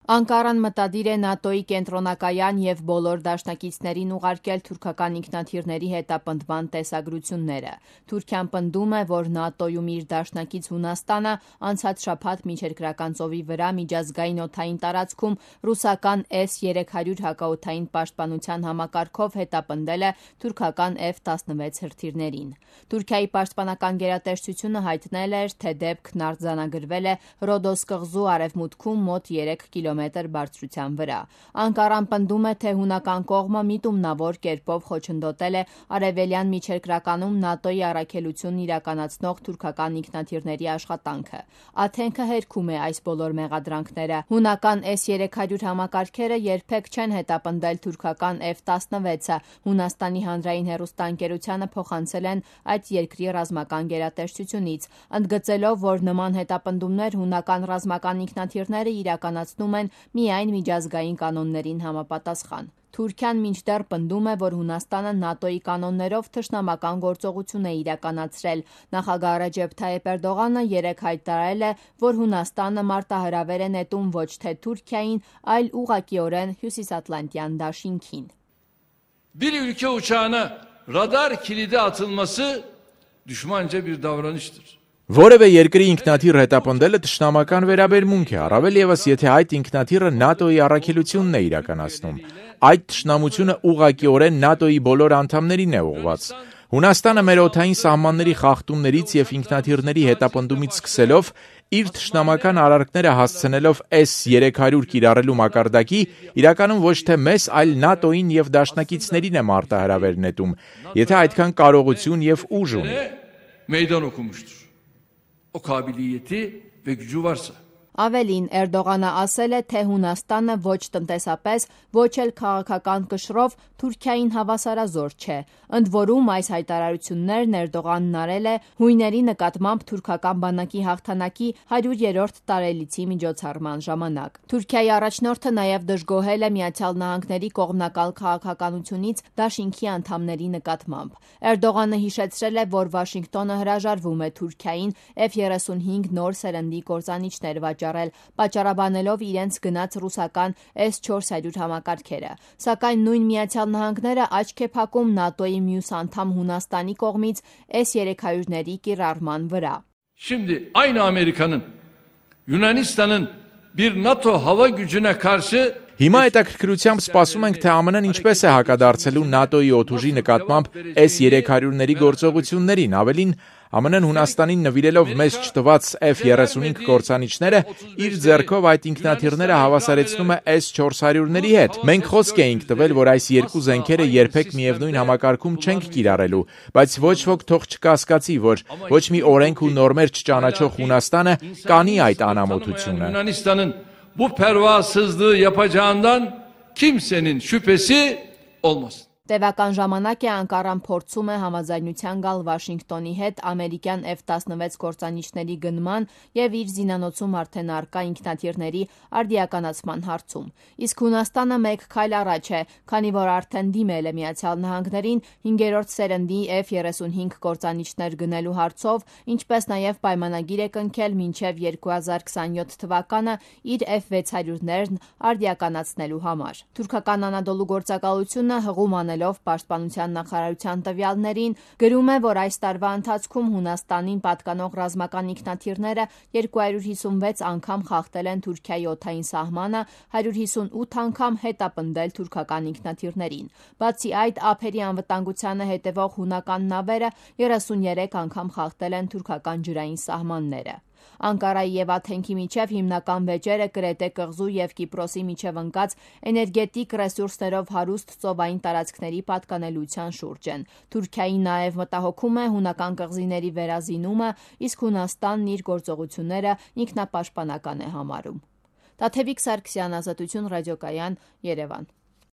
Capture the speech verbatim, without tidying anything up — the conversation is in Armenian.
Անկարան մտադիր է ՆԱՏՕ-ի կենտրոնակայան և բոլոր դաշնակիցներին ուղարկել թուրքական ինքնաթիռների հետապնդման տեսագրությունները։ Թուրքիան պնդում է, որ ՆԱՏՕ-ում իր դաշնակից Հունաստանը անցած շաբաթ Միջերկրական ծովի վրա միջազգային օդային տարածքում ռուսական S երեք հարյուր հակաօդային պաշտպանության համակարգով հետապնդել է թուրքական F տասնվեց հրթիռներին։ Թուրքիայի պաշտպանական գերատեսչությունը հայտնել էր, թե դեպքն արձանագրվել է Ռոդոս կղզու արևմուտքում մոտ երեք կիլոմետր բարձրության վրա։ Անկարան պնդում է, թե հունական կողմը միտումնավոր կերպով խոչընդոտել է արևելյան միջերկրականում ՆԱՏՕ-ի առաքելությունն իրականացնող թուրքական ինքնաթիռների աշխատանքը։ Աթենքը հերքում է այս բոլոր մեղադրանքները։ Հունական S երեք հարյուր համակարգերը երբեք չեն հետապնդել թուրքական F տասնվեցը, Հունաստանի հանրային հեռուստաընկերությանը փոխանցել են այդ երկրի ռազմական գերատեսչությունից, ընդգծելով, որ նման հետապնդումներ հունական ռազմական ինքնաթիռները իրականացնում են միայն միջազգային կանոններին համապատասխան։ Թուրքիան մինչդեռ պնդում է, որ Հունաստանը ՆԱՏՕ-ի կանոններով թշնամական գործողություն է իրականացրել։ Նախագահ Ռեջեփ Թայիփ Էրդողանը երեկ հայտարարել է, որ Հունաստանը մարտահրավեր է նետում ոչ թե Թուրքիային, այլ ուղղակիորեն Հյուսիսատլանտյան դաշինքին։ Bir ülke uçağına radar kilidi atılması düşmanca bir davranıştır. Որևէ երկրի ինքնաթիռ հետապնդելը թշնամական վերաբերմունք է, առավել ևս եթե այդ ինքնաթիռը ՆԱՏՕ-ի առաքելությունն է իրականացնում։ Այդ թշնամությունը ուղղակիորեն ՆԱՏՕ-ի բոլոր անդամներին է ուղղված։ Հունաստանը մեր օդային սահմանների խախտումներից և ինքնաթիռների հետապնդումից սկսելով, իր թշնամական արարքները հասցնելով S երեք հարյուր կիրառելու մակարդակի, իրականում ոչ թե մեզ, այլ ՆԱՏՕ-ին և դաշնակիցներին է մարտահրավեր նետում, եթե այդքան կարողություն և ուժ ունի։ Meydan okumuştur. O kabiliyeti ve gücü varsa. Ավելին, Էրդողանը ասել է, թե Հունաստանը ոչ տնտեսապես, ոչ էլ քաղաքական կշռով Թուրքիային հավասարազոր չէ։ Ընդ որում այս հայտարարություններն Էրդողանն արել է հույների նկատմամբ թուրքական բանակի հաղթանակի հարյուրերորդ տարելիցի միջոցառման ժամանակ։ Թուրքիայի առաջնորդը նաև դժգոհել է Միացյալ Նահանգների կողմնակալ քաղաքականությունից դաշինքի անդամների նկատմամբ։ Էրդողանը հիշեցրել է, որ Վաշինգտոնը հրաժարվում է Թուրքիային F երեսունհինգ նոր սերնդի կործանիչներ վաճառել, պատճառաբանելով իրենց գնաց ռուսական S չորս հարյուր համակարգերը։ Սակայն նույն Միացյալ Նահանգները աչք է փակում ՆԱՏՕ-ի մյուս անդամ Հունաստանի կողմից S երեք հարյուրների կիրառման վրա։ Şimdi aynı Amerika'nın Yunanistan'ın bir NATO hava gücüne karşı Հիմա հետաքրքրությամբ սպասում ենք, թե ԱՄՆ-ն ինչպես է հակադարձելու ՆԱՏՕ-ի օդուժի նկատմամբ S երեք հարյուրների գործողություններին, ավելին ԱՄՆ-ն Հունաստանին նվիրելով մեզ չտված F երեսունհինգ կործանիչները իր ձեռքով այդ ինքնաթիռները հավասարեցնում է S չորս հարյուրների հետ։ Մենք խոսք էինք տվել, որ այս երկու զենքերը երբեք միևնույն համակարգում չենք կիրառելու, բայց ոչ ոք թող չկասկածի, որ ոչ մի օրենք ու նորմեր չճանաչող Հունաստանը կանի այդ անամոթությունը։ Bu pervasızlığı yapacağından kimsenin şüphesi olmasın. Տևական ժամանակ է Անկարան փորձում է համաձայնության գալ Վաշինգտոնի հետ ամերիկյան F տասնվեց կործանիչների գնման և իր զինանոցում արդեն առկա ինքնաթիռների արդիականացման հարցում։ Իսկ Հունաստանը մեկ քայլ առաջ է, քանի որ արդեն դիմել է Միացյալ Նահանգներին հինգերորդ սերնդի F երեսունհինգ կործանիչներ գնելու հարցով, ինչպես նաև պայմանագիր է կնքել մինչև երկու հազար քսանյոթ թվականը իր F վեց հարյուրներն արդիականացնելու համար։ Թուրքական Անադոլու գործակալությունը հղում անել Պաշտպանության նախարարության տվյալներին գրում է, որ այս տարվա ընթացքում Հունաստանին պատկանող ռազմական ինքնաթիռները երկու հարյուր հիսունվեց անգամ խախտել են Թուրքիայի օդային սահմանը, հարյուր հիսունութ անգամ հետապնդել թուրքական ինքնաթիռներին։ Բացի այդ, ափերի անվտանգությանը հետևող հունական նավերը երեսունյերեք անգամ խախտել են թուրքական ջրային սահմանները։ Անկարայի և Աթենքի միջև հիմնական վեճերը Կրետե կղզու և Կիպրոսի միջև ընկած էներգետիկ ռեսուրսներով հարուստ ծովային տարածքների պատկանելիության շուրջ են։ Թուրքիայի նաև մտահոգում է հունական կղզիների վերազինումը, իսկ Հունաստանն իր գործողությունները ինքնապաշտպանական է համարում։ Տաթևիկ Սարգսյան, Ազատություն ռադիոկայան, Երևան։